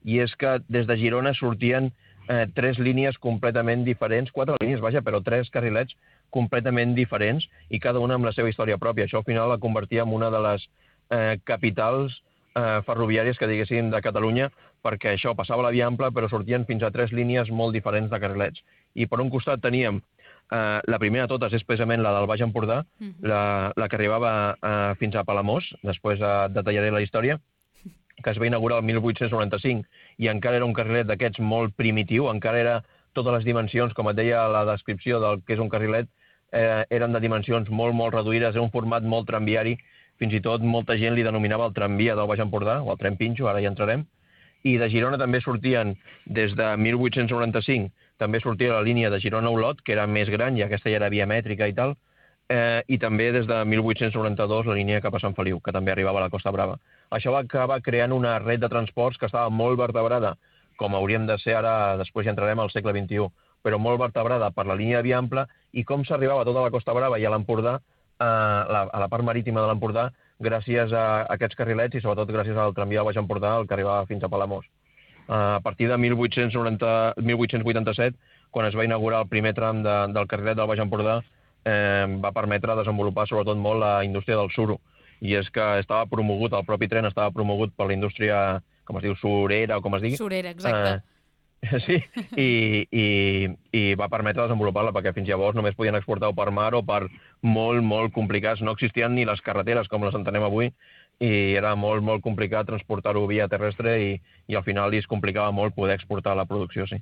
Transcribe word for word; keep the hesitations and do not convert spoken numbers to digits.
i és que des de Girona sortien eh, tres línies completament diferents, quatre línies, vaja, però tres carrilets completament diferents i cada una amb la seva història pròpia. Això al final la convertia en una de les eh, capitals eh, ferroviàries que diguéssim de Catalunya, perquè això passava la via ampla però sortien fins a tres línies molt diferents de carrilets. I per un costat teníem eh, la primera de totes és precisament la del Baix Empordà, uh -huh. la, la que arribava eh, fins a Palamós, després eh, detallaré la història, que es va inaugurar el mil vuit-cents noranta-cinc i encara era un carrilet d'aquests molt primitiu, encara era totes les dimensions, com et deia la descripció del que és un carrilet, eh, eren de dimensions molt, molt reduïdes, era un format molt tramviari, fins i tot molta gent li denominava el tramvia del Baix Empordà, o el tren pinxo, ara hi entrarem, i de Girona també sortien, des de mil vuit-cents noranta-cinc, també sortia la línia de Girona-Olot, que era més gran, i aquesta ja era via mètrica i tal, eh, i també des de mil vuit-cents noranta-dos la línia cap a Sant Feliu, que també arribava a la Costa Brava. Això va acabar creant una red de transports que estava molt vertebrada, com hauríem de ser ara, després ja entrarem al segle vint-i-u, però molt vertebrada per la línia de via ampla, i com s'arribava a tota la Costa Brava i a l'Empordà, a la, a la part marítima de l'Empordà, gràcies a aquests carrilets i sobretot gràcies al tramvia del Baix Empordà, el que arribava fins a Palamós. A partir de mil vuit-cents vuitanta-set, quan es va inaugurar el primer tram de, del carrilet del Baix Empordà, eh, va permetre desenvolupar sobretot molt la indústria del suro. I és que estava promogut, el propi tren estava promogut per la indústria, com es diu, surera o com es digui. Surera, exacte. Eh, sí, i, i, i va permetre desenvolupar-la, perquè fins llavors només podien exportar-ho per mar o per molt, molt complicats. No existien ni les carreteres com les entenem avui, i era molt, molt complicat transportar-ho via terrestre i, i al final li es complicava molt poder exportar la producció, sí.